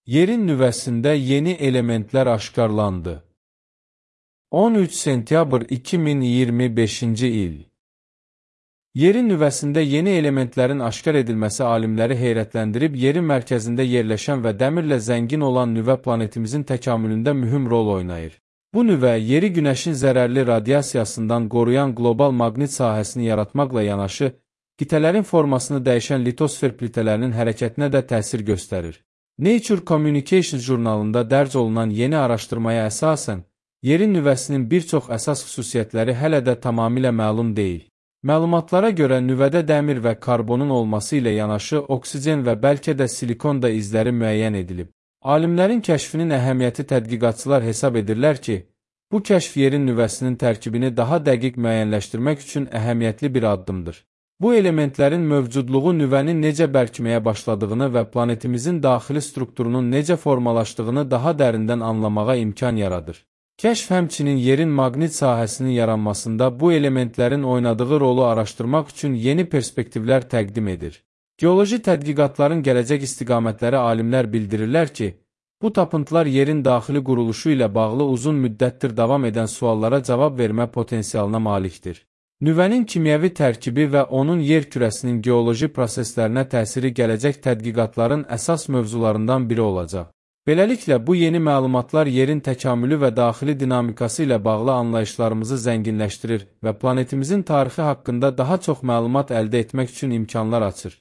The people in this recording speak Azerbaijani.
Yerin nüvəsində yeni elementlər aşkarlandı. 13 sentyabr 2025-ci il. Yerin nüvəsində yeni elementlərin aşkar edilməsi alimləri heyrətləndirib, yerin mərkəzində yerləşən və dəmirlə zəngin olan nüvə planetimizin təkamülündə mühüm rol oynayır. Bu nüvə, yeri günəşin zərərli radiasiyasından qoruyan qlobal maqnit sahəsini yaratmaqla yanaşı, qitələrin formasını dəyişən litosfer plitələrinin hərəkətinə də təsir göstərir. Nature Communications jurnalında dərc olunan yeni araşdırmaya əsasən, yerin nüvəsinin bir çox əsas xüsusiyyətləri hələ də tamamilə məlum deyil. Məlumatlara görə nüvədə dəmir və karbonun olması ilə yanaşı oksigen və bəlkə də silikon da izləri müəyyən edilib. Alimlərin kəşfinin əhəmiyyəti tədqiqatçılar hesab edirlər ki, bu kəşf yerin nüvəsinin tərkibini daha dəqiq müəyyənləşdirmək üçün əhəmiyyətli bir addımdır. Bu elementlərin mövcudluğu nüvənin necə bərkiməyə başladığını və planetimizin daxili strukturunun necə formalaşdığını daha dərindən anlamağa imkan yaradır. Kəşf həmçinin yerin maqnit sahəsinin yaranmasında bu elementlərin oynadığı rolu araşdırmaq üçün yeni perspektivlər təqdim edir. Geoloji tədqiqatların gələcək istiqamətləri alimlər bildirirlər ki, bu tapıntılar yerin daxili quruluşu ilə bağlı uzun müddətdir davam edən suallara cavab vermə potensialına malikdir. Nüvənin kimyəvi tərkibi və onun yer kürəsinin geoloji proseslərinə təsiri gələcək tədqiqatların əsas mövzularından biri olacaq. Beləliklə, bu yeni məlumatlar yerin təkamülü və daxili dinamikası ilə bağlı anlayışlarımızı zənginləşdirir və planetimizin tarixi haqqında daha çox məlumat əldə etmək üçün imkanlar açır.